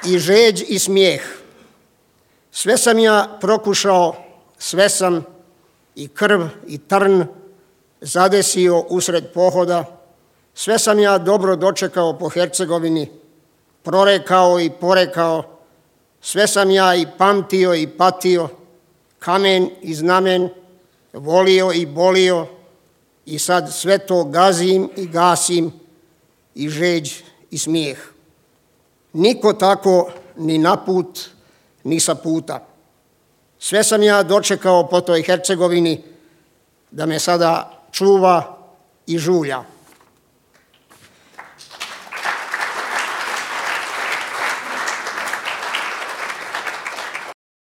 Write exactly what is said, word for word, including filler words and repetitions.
i žeđ i smijeh. Sve sam ja prokušao, sve sam i krv i trn zadesio usred pohoda, sve sam ja dobro dočekao po Hercegovini, prorekao i porekao, sve sam ja i pamtio i patio, kamen i znamen, volio i bolio, i sad sve to gazim i gasim, i žeđ i smijeh. Niko tako ni na put, ni sa puta. Sve sam ja dočekao po toj Hercegovini, da me sada čuva i žulja.